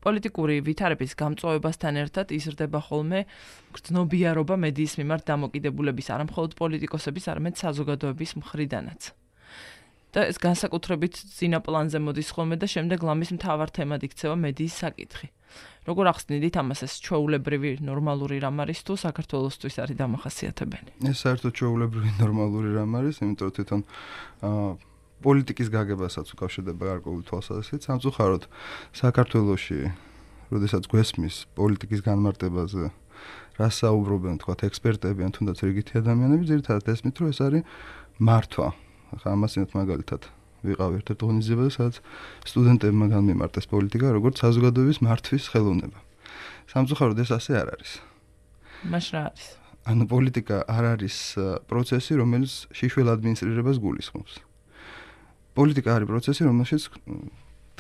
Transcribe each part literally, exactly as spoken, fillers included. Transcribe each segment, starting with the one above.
პოლიტიკური ვითარების გამწვავებასთან ერთად იზრდება ხოლმე გრძნობიარობა მედიის მიმართ დამოკიდებულების არა მხოლოდ პოლიტიკოსების, არამედ საზოგადოების მხრიდანაც. და ეს განსაკუთრებით წინა პლანზე მოდის ხოლმე და შემდეგ ლამის მთავარ თემად იქცევა მედიის საკითხი. როგორ ახსნიდით ამას, ეს ჩვეულებრივი ნორმალური რამ არის თუ საქართველოსთვის არის დამახასიათებელი? ეს საერთოდ ჩვეულებრივი ნორმალური რამ არის, იმიტომ რომ თვითონ პოლიტიკის გაგებასაც უკავშირდება გარკვეული თვალსაზრისით. სამწუხაროდ საქართველოში, როდესაც გვესმის პოლიტიკის განმარტებაზე, რას საუბრობენ, თქვათ, ექსპერტები ან თუნდაც რიგითი ადამიანები, ძირითადად ესმით, რომ ეს არის მართვა. ახლა ამასინათ მაგალითად ვიყავ ერთ-ერთ ორგანიზებაში, სადაც სტუდენტებმა განმემარტეს პოლიტიკა, როგორც საზოგადოების მართვის ხელოვნება. სამწუხაროდ ეს ასე არ არის. მაშ რა არის? ანუ პოლიტიკა არ არის პროცესი, რომელიც შიშველ ადმინისტრირებას გულისხმობს. პოლიტიკა არის პროცესი, რომელშიც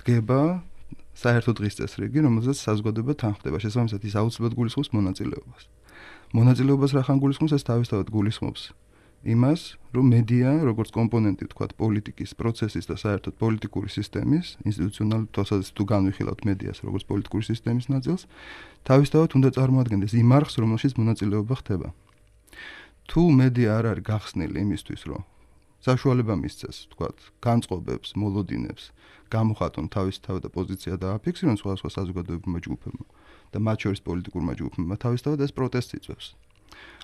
დგება საერთო დღის წესრიგი, რომელზეც საზოგადოება თანხმდება. შესაბამისად, ის აუცილებლად გულისხმობს მონაწილეობას. მონაწილეობას რახან გულისხმობს, ეს თავისთავად გულისხმობს იმას, რომ მედია, როგორც კომპონენტი, თქვათ, პოლიტიკის პროცესის და საერთოდ პოლიტიკური სისტემის, ინსტიტუციონალური თვალსაზრისით თუ განვიხილავთ მედიას როგორც პოლიტიკური სისტემის ნაწილს, თავისთავად უნდა წარმოადგენდეს იმ არხს, რომელშიც მონაწილეობა ხდება. თუ მედია არ არის გახსნილი იმისთვის, რომ საშუალება მისცეს, თქვათ, განწყობებს, მოლოდინებს, გამოხატონ თავისი თავი და პოზიცია დააფიქსირონ სხვადასხვა საზოგადოებრივმა ჯგუფებმა და მათ შორის პოლიტიკურმა ჯგუფებმა, თავისთავად ეს პროტესტს იწვევს.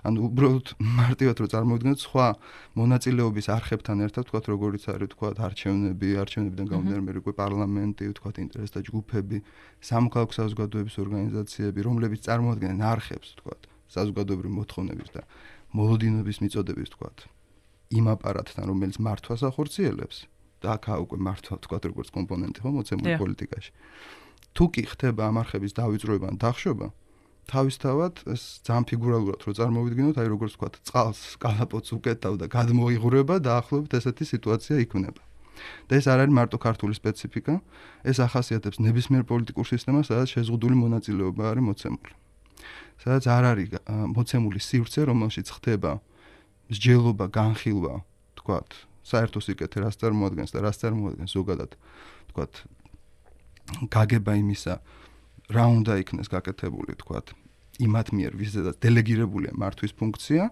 ანუ უბრალოდ მარტივად რომ წარმოვიდგინოთ სხვა მონაწილეობის არხებთან ერთად, თქვათ, როგორიც არის, თქვათ, არჩევნები, არჩევნებიდან გამომდინარე მე როგორი პარლამენტი, თქვათ, ინტერესთა ჯგუფები, სამოქალაქო საზოგადოების ორგანიზაციები, რომლებიც წარმოადგენენ არხებს, თქვათ, საზოგადოებრივი მოთხოვნების და მოლოდინების მიწოდების, თქვათ, იმ აპარატთან, რომელიც მართვას ახორციელებს და აქაა უკვე მართვა, თქვათ, როგორც კომპონენტი ხო მოცემული პოლიტიკაში. თუ კი ხდება ამ არხების დავიწროება ან დახშობა, თავისთავად ეს ძალიან ფიგურალურად რო წარმოვიდგინოთ, აი როგორც ვთქვათ, წყალს კალაპოტს უკეთავ და გადმოიღურება და ახლობთ ესეთი სიტუაცია იქმნება. და ეს არ არის მარტო ქართული სპეციფიკა, ეს ახასიათებს ნებისმიერ პოლიტიკურ სისტემას, სადაც შეზღუდული მონაწილეობა არის მოცემული. სადაც არ არის მოცემული სივრცე, რომელშიც ხდება მსჯელობა, განხილვა, ვთქვათ, საერთო სიკეთე რას წარმოადგენს და რას წარმოადგენს ზოგადად, ვთქვათ, გაგება იმისა, რა უნდა იქნეს გაკეთებული, თქვათ, იმათ მიერ, ვისაც დელეგირებულია მართვის ფუნქცია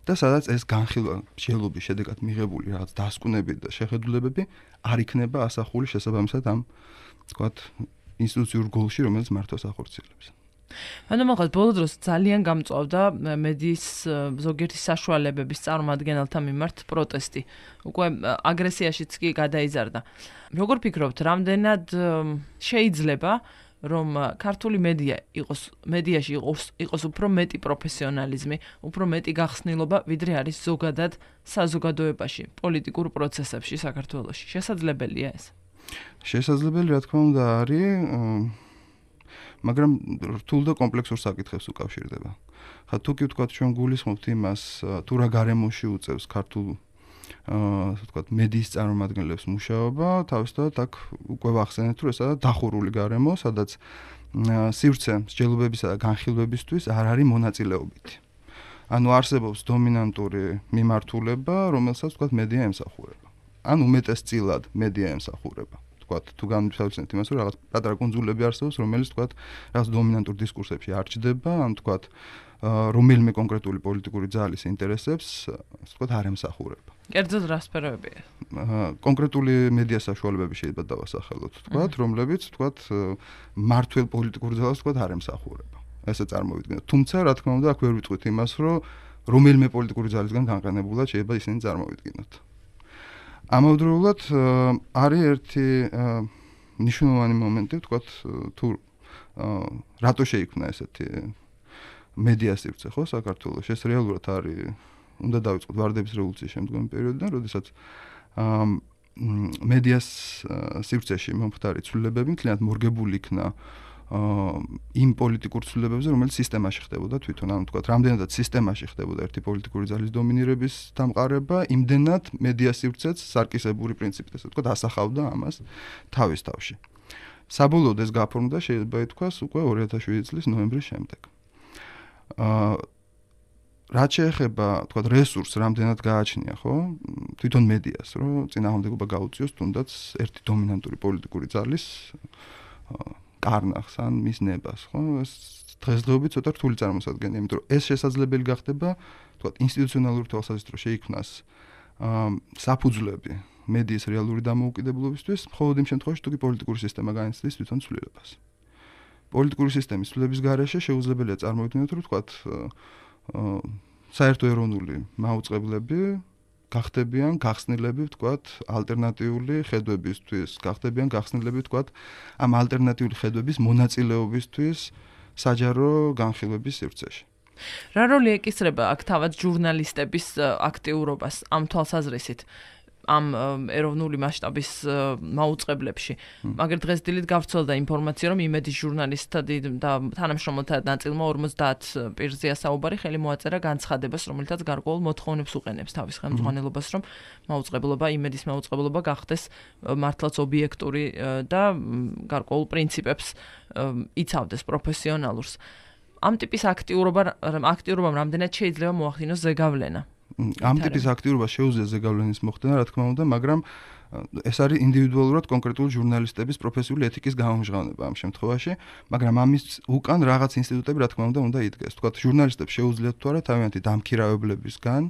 და სადაც ეს განხილვა, მსჯელობის შედეგად მიღებული რაღაც დასკვნები და შეხედულებები არ იქნება ასახული შესაბამისად ამ, თქვათ, ინსტიტუციურ გოლში, რომელიც მართვას ახორციელებს. ანუ მაგალითად ბოლო დროს ძალიან გამწვავდა მედიის ზოგიერთი საშუალებების წარმომადგენელთა მიმართ პროტესტი. უკვე აგრესიაშიც კი გადაიზარდა. როგორ ფიქრობთ, რამდენად შეიძლება რომ ქართული მედია იყოს მედიაში იყოს იყოს უფრო მეტი პროფესიონალიზმი, უფრო მეტი გახსნილობა, ვიდრე არის ზოგადად საზოგადოებაში, პოლიტიკურ პროცესებში საქართველოში. შესაძლებელია ეს? შესაძლებელი, რა თქმა უნდა, არის, მაგრამ რთულ და კომპლექსურ საკითხებს უკავშირდება. ხა თუ კი ვთქვათ, ჩვენ გულისხმობთ იმას, თუ რა გარემოში უწევს ქართულ აა ვთქვათ, მედიის წარმომადგენლებს მუშაობა, თავისთავად აქ უკვე ვახსენეთ, რომ ესაა დახურული გარემო, სადაც სივრცე მსჯელობებისა და განხილვებისთვის არ არის მონაწილეობითი. ანუ არსებობს დომინანტური მიმართულება, რომელსაც ვთქვათ, მედია ემსახურება. ან უმეტესწილად მედია ემსახურება. ვთქვათ, თუ განვიხილავთ იმას, რომ რაღაც პატარა კუნძულები არსებობს, რომელიც ვთქვათ, რაღაც დომინანტურ დისკურსებში არ ჩდება, ან ვთქვათ, რომელიმე კონკრეტული პოლიტიკური ძალის ინტერესებს, ასე ვთქვათ, არ ემსახურება. კერძოდ რა სფეროებია? კონკრეტული მედია საშუალებები შეიძლება დავასახელოთ, ვთქვათ, რომლებიც, ვთქვათ, მართლ პოლიტიკურ ძალას, ვთქვათ, არ ემსახურება. ესე წარმოვიდგინოთ. თუმცა, რა თქმა უნდა, აქ ვერ ვიტყვით იმას, რომ რომელიმე პოლიტიკური ძალისგან განყენებულად შეიძლება ისინი წარმოვიდგინოთ. ამავდროულად არის ერთი მნიშვნელოვანი მომენტი, ვთქვათ, თუ რატო შეიქმნა ესეთი მედია სივრცე, ხო, საქართველოში. ეს რეალურად არის, უნდა დავიწყოთ ვარდების რევოლუციის შემდგომი პერიოდიდან, როდესაც მედიას სივრცეში მომხდარი ცვლილებები მთლიანად მორგებული იქნა იმ პოლიტიკურ ცვლილებებზე, რომელიც სისტემაში ხდებოდა თვითონ, ანუ თქვათ, რამდენადაც სისტემაში ხდებოდა ერთი პოლიტიკური ძალის დომინირების დამყარება, იმდენად მედია სივრცეც სარკისებური პრინციპით, ასე ვთქვათ, ასახავდა ამას თავის თავში. საბოლოოდ ეს გაფორმდა, შეიძლება ითქვას, უკვე ორი ათას შვიდი წლის ნოემბრის შემდეგ. აა რაც შეეხება, თქვათ, რესურსს რამდენად გააჩნია, ხო? თვითონ მედიას, რომ წინააღმდეგობა გაუწიოს თუნდაც ერთი დომინანტური პოლიტიკური ძალის კარნახს ან მის ნებას, ხო? ეს დღესდღეობით ცოტა რთული წარმოსადგენია, იმიტომ რომ ეს შესაძლებელი გახდება, თქვა, ინსტიტუციონალური თვალსაზრისით შეიქმნას საფუძვლები მედიის რეალური დამოუკიდებლობისთვის, მხოლოდ იმ შემთხვევაში, თუ კი პოლიტიკური სისტემა განიცდის თვითონ ცვლილებას. პოლიტიკური სისტემის ცვლილების გარეშე შეუძლებელია წარმოვიდგინოთ, რომ თქვა, საერთო ეროვნული მაუწყებლები გახდებიან გახსნილები, ვთქვათ, ალტერნატიული ხედვებისთვის, გახდებიან გახსნილები, ვთქვათ, ამ ალტერნატიული ხედვების მონაწილეობისთვის საჯარო განხილვების სივრცეში. რა როლი ეკისრება აქ თავად ჟურნალისტების აქტიურობას ამ თვალსაზრისით? ამ ეროვნული მასშტაბის მაუწყებლებში. მაგრამ დღეს დილით გავრცელდა ინფორმაცია, რომ იმედის ჟურნალისტთა და თანამშრომელთა ნაწილმა ორმოცდაათ პირზეა საუბარი, ხელი მოაწერა განცხადებას, რომელთაც გარკვეულ მოთხოვნებს უყენებს თავის ხელმძღვანელობას, რომ მაუწყებლობა, იმედის მაუწყებლობა გახდეს მართლაც ობიექტური და გარკვეულ პრინციპებს იცავდეს პროფესიონალურს. ამ ტიპის აქტიურობა აქტიურობამ რამდენად შეიძლება მოახდინოს ზეგავლენა? ამ ტიპის აქტიურობა შეუძლია ზეგავლენის მოხდენა, რა თქმა უნდა, მაგრამ ეს არის ინდივიდუალურად კონკრეტული ჟურნალისტების პროფესიული ეთიკის გამომჟღავნება ამ შემთხვევაში, მაგრამ ამის უკან რაღაც ინსტიტუტები, რა თქმა უნდა, უნდა იდგეს. თქვათ, ჟურნალისტებს შეუძლიათ თუ არა თავიანთი დამქირავებლებისგან,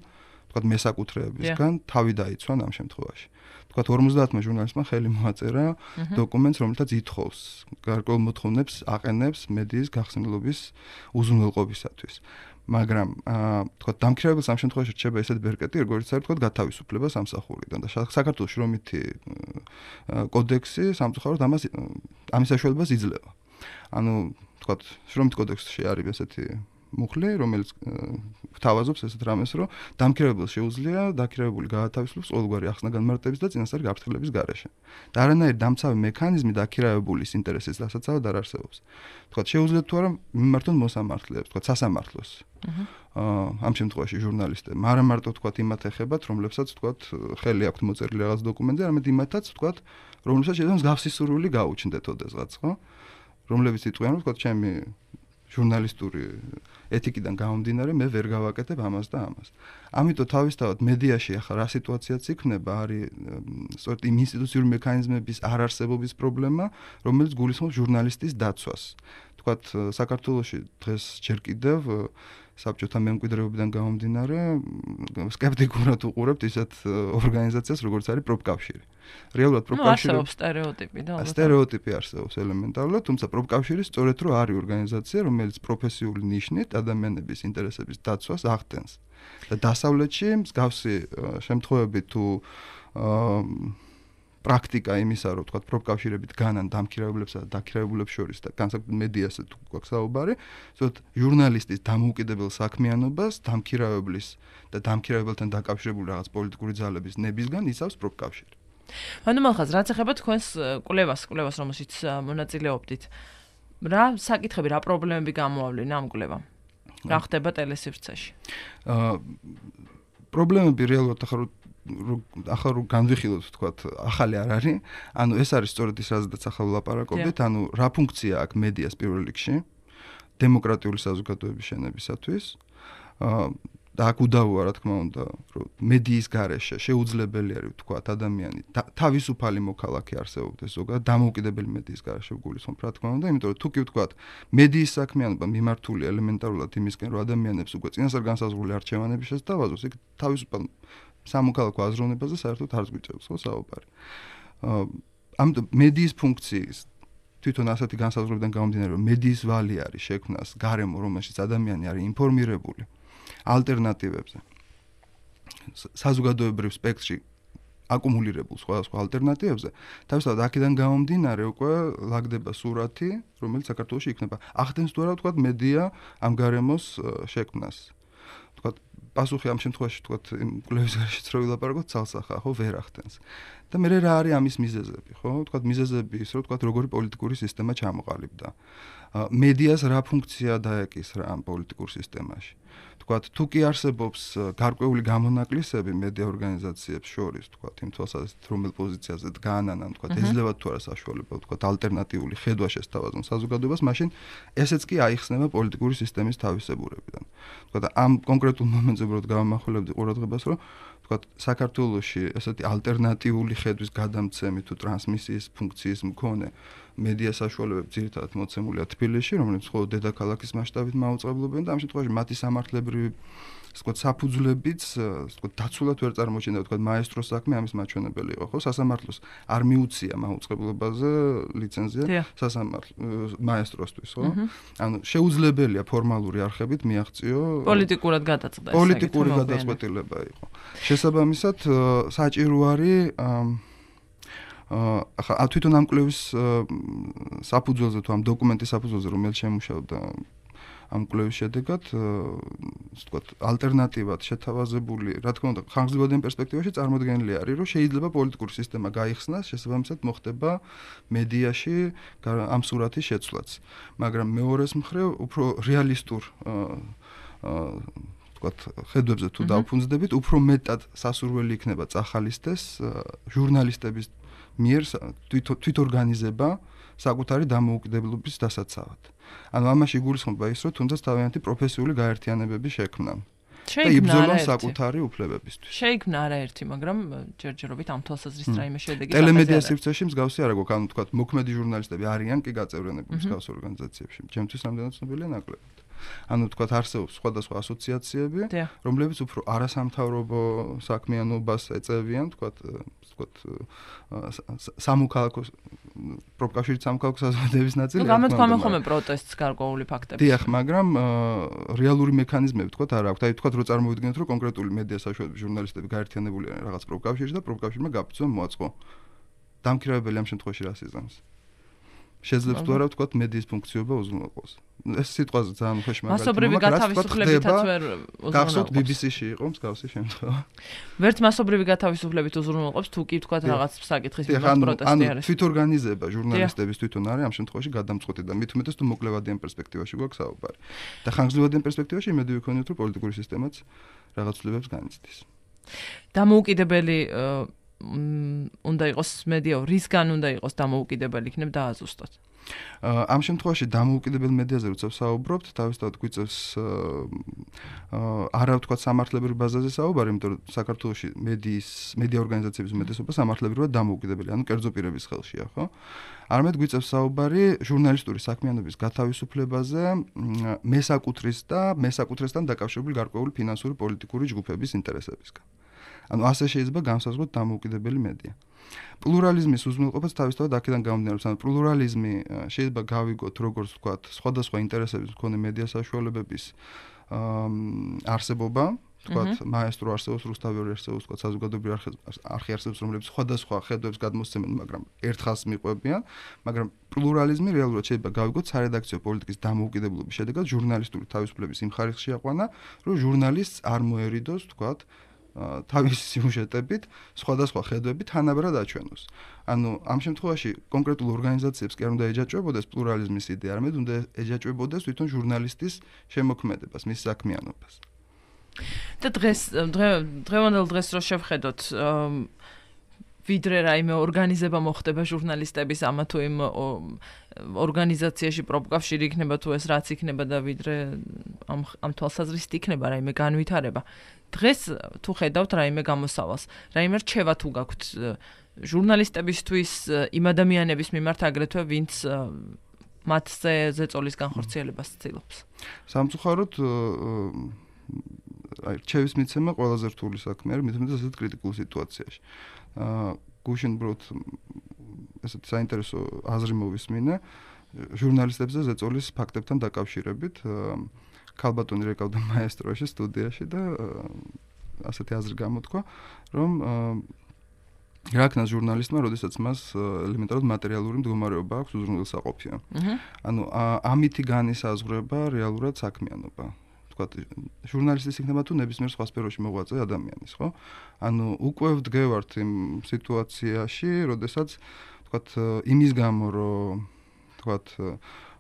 თქვათ, მესაკუთრეებისგან თავი დაიცვან ამ შემთხვევაში. თქვათ, ორმოცდაათმა ჟურნალისტმა ხელი მოაწერა დოკუმენტს, რომელთაც ითხოვს გარკვეულ მოთხოვნებს აყენებს მედიის გახსნილობის უზრუნველყოფისათვის. მაგრამ თქვათ, დამქირავებელს ამ შემთხვევაში რჩება ესეთ ბერკეტი, როგორც არის თქვათ, გათავისუფლება სამსახურიდან და საქართველოს შრომითი კოდექსი სამწუხაროდ ამას ამის საშუალებას იძლევა. ანუ თქვათ, შრომითი კოდექსში არის ესეთი მუხლი, რომელიც გვთავაზობს ესეთ რამეს, რომ დამქირავებელს შეუძლია დაქირავებული გაათავისუფლოს ყოველგვარი ახსნა განმარტების და წინასწარი გაფრთხილების გარეშე. და არანაირი დამცავი მექანიზმი დაქირავებულის ინტერესის დასაცავად არ არსებობს. თქვათ, შეუძლიათ თუ არა მიმართონ მოსამართლეებს, თქვათ, სასამართლოს. ამ შემთხვევაში ჟურნალისტები, არა მარტო თქვათ იმათ ეხებათ, რომლებსაც თქვათ ხელი აქვთ მოწერილი რაღაც დოკუმენტზე, არამედ იმათაც თქვათ, რომლებსაც შეძლებს მსგავსი სურვილი გაუჩნდეთ ოდესღაც, ხო? რომლებიც იტყვიან, რომ თქვათ, ჩემი ჟურნალისტური ეთიკიდან გამომდინარე, მე ვერ გავაკეთებ ამას და ამას. ამიტომ თავისთავად მედიაში ახლა რა სიტუაციაც იქნება, არის სწორედ იმ ინსტიტუციური მექანიზმების არარსებობის პრობლემა, რომელიც გულისხმობს ჟურნალისტის დაცვას. თქვათ, საქართველოში დღეს ჯერ კიდევ საბჭოთა მემკვიდრეობიდან გამომდინარე, სკეპტიკურად უყურებთ ისეთ ორგანიზაციას, როგორც არის პროფკავშირი. რეალურად პროფკავშირი არსებობს სტერეოტიპი და ალბათ სტერეოტიპი არსებობს ელემენტარულად, თუმცა პროფკავშირი სწორედ რომ არის ორგანიზაცია, რომელიც პროფესიული ნიშნით ადამიანების ინტერესების დაცვას ახდენს. და დასავლეთში მსგავსი შემთხვევები თუ პრაქტიკა იმისა, რომ თქვა პროფკავშირებით განან დამქირავებლებსა და დაქირავებულებს შორის და განსაკუთრებით მედიაზე თუ გვაქვს საუბარი, ზოგადად ჟურნალისტის დამოუკიდებელ საქმიანობას დამქირავებლის და დამქირავებელთან დაკავშირებული რაღაც პოლიტიკური ძალების ნებისგან იცავს პროფკავშირი. ანუ მალხაზ, რაც ეხება თქვენს კვლევას, კვლევას რომელშიც მონაწილეობდით, რა საკითხები, რა პრობლემები გამოავლინა ამ კვლევამ? რა ხდება ტელესივრცეში? აა პრობლემები რეალურად ახლა ახლა რო განვიხილოთ, ვთქვათ, ახალი არ არის. ანუ ეს არის სწორედ ის, რაზეც ახლა ვლაპარაკობდით, ანუ რა ფუნქცია აქვს მედიას პირველ რიგში დემოკრატიული საზოგადოების შენებისათვის. აა და აქ უდავოა, რა თქმა უნდა, რომ მედიის გარეშე შეუძლებელი არის, ვთქვათ, ადამიანი თავისუფალი მოქალაქე არსებობდეს ზოგადად დამოუკიდებელი მედიის გარეშე გულისხმობ, რა თქმა უნდა, იმიტომ რომ თუ კი ვთქვათ, მედიის საქმიანობა მიმართულია ელემენტარულად იმისკენ, რომ ადამიანებს უკვე წინასწარ განსაზღვრული არჩევანები შესთავაზოს, იქ თავისუფალ სამოქალაქო აზროვნებაზე საერთოდ არ გვიწევს ხო საუბარი. ამიტომ მედიის ფუნქციის თვითონ ასეთი განსაზღვრებიდან გამომდინარე, რომ მედიის ვალი არის შექმნას გარემო, რომელშიც ადამიანი არის ინფორმირებული ალტერნატივებზე. საზოგადოებრივ სპექტრში აკუმულირებულ სხვადასხვა ალტერნატივებზე, თავისთავად აქედან გამომდინარე უკვე ლაგდება სურათი, რომელიც საქართველოში იქნება. ახდენს თუ არა ვთქვათ მედია ამ გარემოს შექმნას. ვთქვათ, პასუხი ამ შემთხვევაში ვთქვათ კვლევის გარეშეც რო ვილაპარაკოთ, ცალსახაა, ხო, ვერ ახდენს. და მე რა არის ამის მიზეზები, ხო? ვთქვათ, მიზეზები ის, რომ ვთქვათ, როგორი პოლიტიკური სისტემა ჩამოყალიბდა. მედიას რა ფუნქცია დაეკისრა ამ პოლიტიკურ სისტემაში. ვთქვათ, თუ კი არსებობს გარკვეული გამონაკლისები მედია ორგანიზაციებს შორის, ვთქვათ, იმ თვალსაზრისით, რომელ პოზიციაზე დგანან, ან ვთქვათ, ეძლევათ თუ არა საშუალება, ვთქვათ, ალტერნატიული ხედვა შესთავაზონ საზოგადოებას, მაშინ ესეც კი აიხსნება პოლიტიკური სისტემის თავისებურებიდან. ვთქვათ, ამ კონკრეტულ მომენტზე უბრალოდ გავამახვილებდი ყურადღებას, რომ თქვათ, საქართველოში ესეთი ალტერნატიული ხედვის გადამცემი თუ ტრანსმისიის ფუნქციის მქონე მედია საშუალებები ძირითადად მოცემულია თბილისში, რომელიც მხოლოდ დედაქალაქის მასშტაბით მაუწყებლობენ და ამ შემთხვევაში მათი სამართლებრივი ვთქვათ, საფუძვლებიც, ვთქვათ, დაცულად ვერ წარმოჩენდა, ვთქვათ, მაესტროს საქმე ამის მაჩვენებელი იყო, ხო? სასამართლოს არ მიუცია მაუწყებლობაზე ლიცენზია სასამართლო მაესტროსთვის, ხო? ანუ შეუძლებელია ფორმალური არხებით მიაღწიო პოლიტიკურად გადაწყდა ეს. პოლიტიკური გადაწყვეტილება იყო. შესაბამისად, საჭირო არის ახლა თვითონ ამ კვლევის საფუძველზე თუ ამ დოკუმენტის საფუძველზე რომელიც შემუშავდა ამ კვლევის შედეგად, ვთქვათ, ალტერნატივად შეთავაზებული, რა თქმა უნდა, ხანგრძლივადიან პერსპექტივაში წარმოდგენილი არის, რომ შეიძლება პოლიტიკური სისტემა გაიხსნას, შესაბამისად მოხდება მედიაში ამ სურათის შეცვლაც. მაგრამ მეორეს მხრივ, უფრო რეალისტურ ვთქვათ, ხედვებზე თუ დავფუნძდებით, უფრო მეტად სასურველი იქნება წახალისდეს ჟურნალისტების მიერ თვითორგანიზება საკუთარი დამოუკიდებლობის დასაცავად. ანუ ამაში გულისხმობა ის, რომ თუნდაც თავიანთი პროფესიული გაერთიანებები შექმნა. და იბრძოლონ საკუთარი უფლებებისთვის. შეიქმნა არაერთი, მაგრამ ჯერჯერობით ამ თვალსაზრისით რაიმე შედეგი გაყედა. ტელემედია სივრცეში მსგავსი არ აქვს, ანუ თქვათ, მოქმედი ჟურნალისტები არიან კი გაწევრიანებული მსგავს ორგანიზაციებში. ჩემთვის რამდენად ცნობილია ნაკლებად. ანუ თქვათ, არსებობს სხვადასხვა ასოციაციები, რომლებიც უფრო არასამთავრობო საქმიანობას ეწევიან, თქვათ, თქვათ, სამოქალაქო პროფკავშირით სამოქალაქო საზოგადოების ნაწილი. ნუ გამოთქვამენ ხოლმე პროტესტს გარკვეული ფაქტები. დიახ, მაგრამ რეალური მექანიზმები თქვათ არ აქვს. აი თქვათ, რომ წარმოვიდგინოთ, რომ კონკრეტული მედია საშუალებების ჟურნალისტები გაერთიანებული არიან რაღაც პროფკავშირში და პროფკავშირმა გაფუძნა მოაწყო. დამქირავებელი ამ შემთხვევაში რას იზამს? შეძლებს თუ არა ვთქვათ მედიის ფუნქციობა უზრუნველყოს. ეს სიტყვაზე ძალიან უხეში მაგალითია. მასობრივი გათავისუფლებითაც ვერ უზრუნველყოს. გახსოვთ ბი ბი სი-ში იყო მსგავსი შემთხვევა. ვერც მასობრივი გათავისუფლებით უზრუნველყობს, თუ კი ვთქვათ რაღაც საკითხის მიმართ პროტესტი არის. ანუ თვითორგანიზება ჟურნალისტების თვითონ არის ამ შემთხვევაში გადამწყვეტი და მით უმეტეს თუ მოკლევადიან პერსპექტივაში გვაქვს საუბარი. და ხანგრძლივადიან პერსპექტივაში იმედი ვიქონიოთ, რომ პოლიტიკური სისტემაც რაღაც ცვლილებებს განიცდის. დამოუკიდებელი უნდა იყოს მედია, რისგან უნდა იყოს დამოუკიდებელი, იქნებ დააზუსტოთ. ამ შემთხვევაში დამოუკიდებელ მედიაზე როცა ვსაუბრობთ, თავისთავად გვიწევს არა ვთქვათ სამართლებრივ ბაზაზე საუბარი, იმიტომ რომ საქართველოში მედიის მედია ორგანიზაციების უმეტესობა სამართლებრივად დამოუკიდებელი, ანუ კერძო პირების ხელშია, ხო? არამედ გვიწევს საუბარი ჟურნალისტური საქმიანობის გათავისუფლებაზე მესაკუთრის და მესაკუთრესთან დაკავშირებული გარკვეული ფინანსური პოლიტიკური ჯგუფების ინტერესებისგან. ანუ ასე შეიძლება განსაზღვროთ დამოუკიდებელი მედია. პლურალიზმის უზრუნველყოფაც თავისთავად აქედან გამომდინარეობს, ანუ პლურალიზმი შეიძლება გავიგოთ როგორც ვთქვათ, სხვადასხვა ინტერესების მქონე მედია საშუალებების არსებობა, ვთქვათ, მაესტრო არსებობს, რუსთავი არსებობს, ვთქვათ, საზოგადოებრივი არხი არსებობს, რომლებიც სხვადასხვა ხედვებს გადმოსცემენ, მაგრამ ერთხელს მიყვებიან, მაგრამ პლურალიზმი რეალურად შეიძლება გავიგოთ სარედაქციო პოლიტიკის დამოუკიდებლობის შედეგად ჟურნალისტური თავისუფლების იმ ხარისხში აყვანა, რომ ჟურნალისტს არ მოერიდოს, ვთქვათ, თავის სიუჟეტებით სხვადასხვა ხედვებით თანაბრად აჩვენოს. ანუ ამ შემთხვევაში კონკრეტულ ორგანიზაციებს კი არ უნდა ეჯაჭვებოდეს პლურალიზმის იდეა, არამედ უნდა ეჯაჭვებოდეს თვითონ ჟურნალისტის შემოქმედებას, მის საქმიანობას. და დღეს დღევანდელ დღეს რო შევხედოთ, ვიდრე რაიმე ორგანიზება მოხდება ჟურნალისტების ამა თუ იმ ორგანიზაციაში პროფკავშირი იქნება თუ ეს რაც იქნება და ვიდრე ამ ამ თვალსაზრისით იქნება რაიმე განვითარება. დღეს თუ ხედავთ რაიმე გამოსავალს, რაიმე რჩევა თუ გაქვთ ჟურნალისტებისთვის იმ ადამიანების მიმართ აგრეთვე ვინც მათზე ზეწოლის განხორციელებას ცდილობს. სამწუხაროდ აი რჩევის მიცემა ყველაზე რთული საქმე არის, მით უმეტეს ასეთ კრიტიკულ სიტუაციაში. აა გუშინ ბროთ ესეთ საინტერესო აზრი მოვისმინე ჟურნალისტებზე ზეწოლის ფაქტებთან დაკავშირებით. ქალბატონი რეკავდა მაესტროში სტუდიაში და ასეთი აზრი გამოთქვა, რომ რა ქნას ჟურნალისტმა, როდესაც მას ელემენტარულად მატერიალური მდგომარეობა აქვს უზრუნველსაყოფია. ანუ ამითი განისაზღვრება რეალურად საქმიანობა. ვთქვათ, ჟურნალისტის იქნება თუ ნებისმიერ სხვა სფეროში მოღვაწე ადამიანის, ხო? ანუ უკვე ვდგევართ იმ სიტუაციაში, როდესაც ვთქვათ, იმის გამო, რომ ვთქვათ,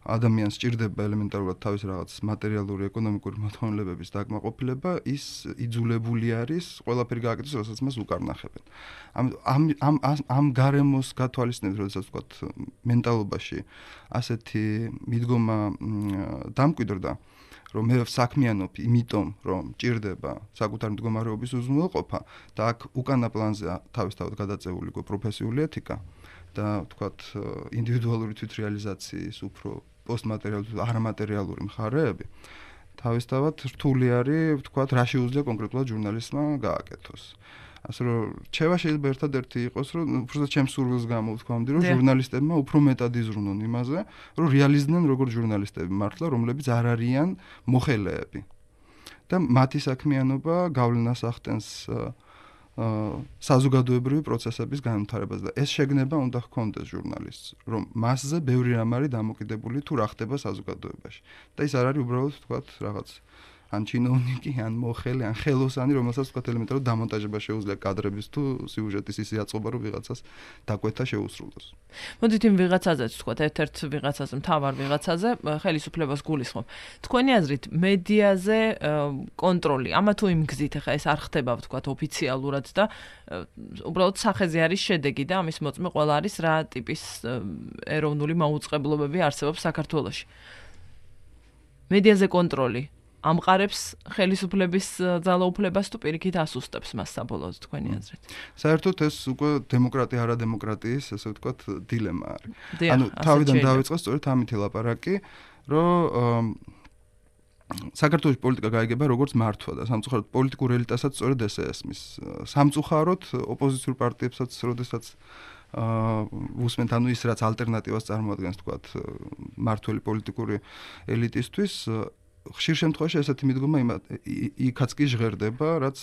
ადამიანს სჭირდება ელემენტარულად თავის რაღაც მატერიალური, ეკონომიკური მოთხოვნილებების დაკმაყოფილება, ის იძულებული არის ყველაფერი გააკეთოს, რასაც მას უკარ ნახებენ. ამ ამ ამ გარემოს გათვალისწინებით, როდესაც ვთქვათ, მენტალობაში ასეთი მიდგომა დამკვიდრდა, რომ მე საქმიანობ იმიტომ, რომ ჭირდება საკუთარი მდგომარეობის უზრუნველყოფა და აქ უკანა პლანზე თავისთავად გადაწეული გო პროფესიული ეთიკა და თქვათ ინდივიდუალური თვითრეალიზაციის უფრო პოსტმატერიალური არამატერიალური მხარეები თავისთავად რთული არის თქვათ რა შეუძლია კონკრეტულად ჟურნალისტმა გააკეთოს. ასე რომ რჩევა შეიძლება ერთადერთი იყოს, რომ უბრალოდ ჩემს სურვილს გამოვთქვამდი, რომ ჟურნალისტებმა უფრო მეტად იზრუნონ იმაზე, რომ რეალიზდნენ როგორც ჟურნალისტები მართლა, რომლებიც არ არიან მოხელეები. და მათი საქმიანობა გავლენას ახდენს საზოგადოებრივი პროცესების განვითარებას და ეს შეგნება უნდა ჰქონდეს ჟურნალისტს, რომ მასზე ბევრი რამ არის დამოკიდებული თუ რა ხდება საზოგადოებაში. და ის არ არის უბრალოდ თქვათ რაღაც ან ჩინოვნიკი, ან მოხელე, ან ხელოსანი, რომელსაც თქვათ ელემენტარულად დამონტაჟება შეუძლია კადრების თუ სიუჟეტის ისე აწყობა, რომ ვიღაცას დაკვეთა შეუსრულოს. მოდით იმ ვიღაცაზეც თქვათ, ერთ-ერთ ვიღაცაზე, მთავარ ვიღაცაზე ხელისუფლებას გულისხმობ. თქვენი აზრით, მედიაზე კონტროლი, ამა თუ იმ გზით, ახლა ეს არ ხდება თქვათ ოფიციალურად და უბრალოდ სახეზე არის შედეგი და ამის მოწმე ყველა არის რა ტიპის ეროვნული მაუწყებლობები არსებობს საქართველოში. მედიაზე კონტროლი ამყარებს ხელისუფლების ძალაუფლებას თუ პირიქით ასუსტებს მას საბოლოოდ თქვენი აზრით. საერთოდ ეს უკვე დემოკრატია არა დემოკრატიის, ესე ვთქვათ, დილემა არის. ანუ თავიდან დავიწყო სწორედ ამითი ლაპარაკი, რომ საქართველოს პოლიტიკა გაიგება როგორც მართვა და სამწუხაროდ პოლიტიკურ ელიტასაც სწორედ ესე ესმის. სამწუხაროდ ოპოზიციურ პარტიებსაც, როდესაც უსმენთ, ანუ ის რაც ალტერნატივას წარმოადგენს, თქვათ, მართველი პოლიტიკური ელიტისთვის, ხშირ შემთხვევაში ესეთი მიდგომა იქაც კი ჟღერდება, რაც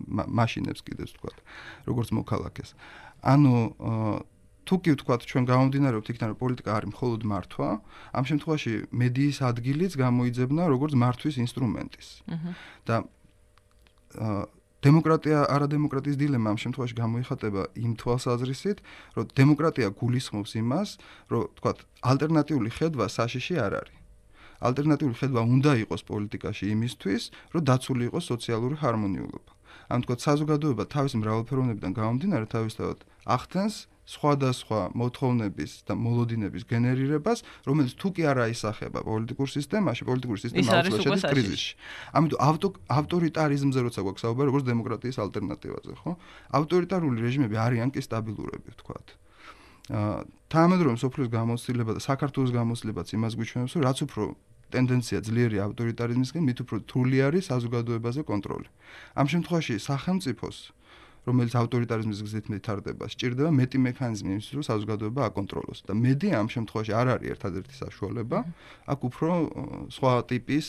მაშინებს კიდევ თქვათ, როგორც მოქალაქეს. ანუ თუ კი ვთქვათ, ჩვენ გამომდინარეობთ იქიდან, რომ პოლიტიკა არის მხოლოდ მართვა, ამ შემთხვევაში მედიის ადგილიც გამოიძებნა როგორც მართვის ინსტრუმენტის. და დემოკრატია არა დემოკრატიის დილემა ამ შემთხვევაში გამოიხატება იმ თვალსაზრისით, რომ დემოკრატია გულისხმობს იმას, რომ თქვათ, ალტერნატიული ხედვა საშიში არ არის. ალტერნატიული ხედვა უნდა იყოს პოლიტიკაში იმისთვის, რომ დაცული იყოს სოციალური ჰარმონიულობა. ამ თქვათ, საზოგადოება თავისი მრავალფეროვნებიდან გამომდინარე თავისთავად ახდენს სხვადასხვა მოთხოვნების და მოლოდინების გენერირებას, რომელიც თუ კი არ აისახება პოლიტიკურ სისტემაში, პოლიტიკური სისტემა აუცილებლად შედის კრიზისში. ამიტომ ავტორიტარიზმზე როცა გვაქვს საუბარი, როგორც დემოკრატიის ალტერნატივაზე, ხო? ავტორიტარული რეჟიმები არიან კი სტაბილურები, ვთქვათ. თანამედროვე მსოფლიოს გამოცდილება და საქართველოს გამოცდილებაც იმას გვიჩვენებს, რომ რაც უფრო ტენდენცია ძლიერი ავტორიტარიზმისკენ, მით უფრო რთული არის საზოგადოებაზე კონტროლი. ამ შემთხვევაში სახელმწიფოს, რომელიც ავტორიტარიზმის გზით მითარდება, სჭირდება მეტი მექანიზმი იმისთვის, რომ საზოგადოება აკონტროლოს. და მედია ამ შემთხვევაში არ არის ერთადერთი საშუალება, აქ უფრო სხვა ტიპის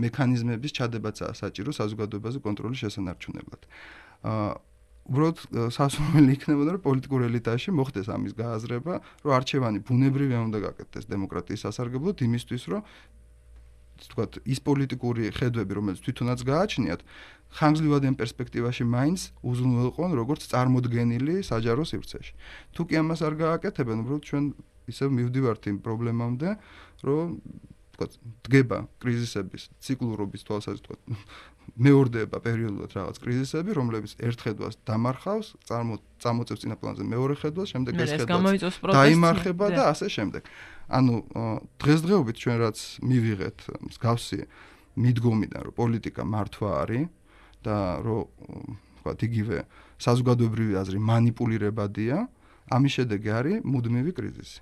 მექანიზმების ჩადებაცაა საჭირო საზოგადოებაზე კონტროლის შესანარჩუნებლად. უბრალოდ სასურველი იქნებოდა, რომ პოლიტიკურ ელიტაში მოხდეს ამის გააზრება, რომ არჩევანი ბუნებრივი უნდა გაკეთდეს დემოკრატიის სასარგებლოდ იმისთვის, რომ თქვათ, ის პოლიტიკური ხედვები, რომელიც თვითონაც გააჩნიათ, ხანგრძლივად ამ პერსპექტივაში მაინც უზრუნველყონ როგორც წარმოდგენილი საჯარო სივრცეში. თუ კი ამას არ გააკეთებენ, უბრალოდ ჩვენ ისევ მივდივართ იმ პრობლემამდე, რომ თქვათ, დგება კრიზისების ციკლურობის თვალსაზრისით, თქვათ, მეორდება პერიოდულად რაღაც კრიზისები, რომლებიც ერთ ხედვას დამარხავს, წამოწევს წინა პლანზე მეორე ხედვას, შემდეგ ეს ხედვა დაიმარხება და ასე შემდეგ. ანუ დღესდღეობით ჩვენ რაც მივიღეთ მსგავსი მიდგომიდან, რომ პოლიტიკა მართვა არის და რომ ვთქვათ, იგივე საზოგადოებრივი აზრი მანიპულირებადია, ამის შედეგი არის მუდმივი კრიზისი.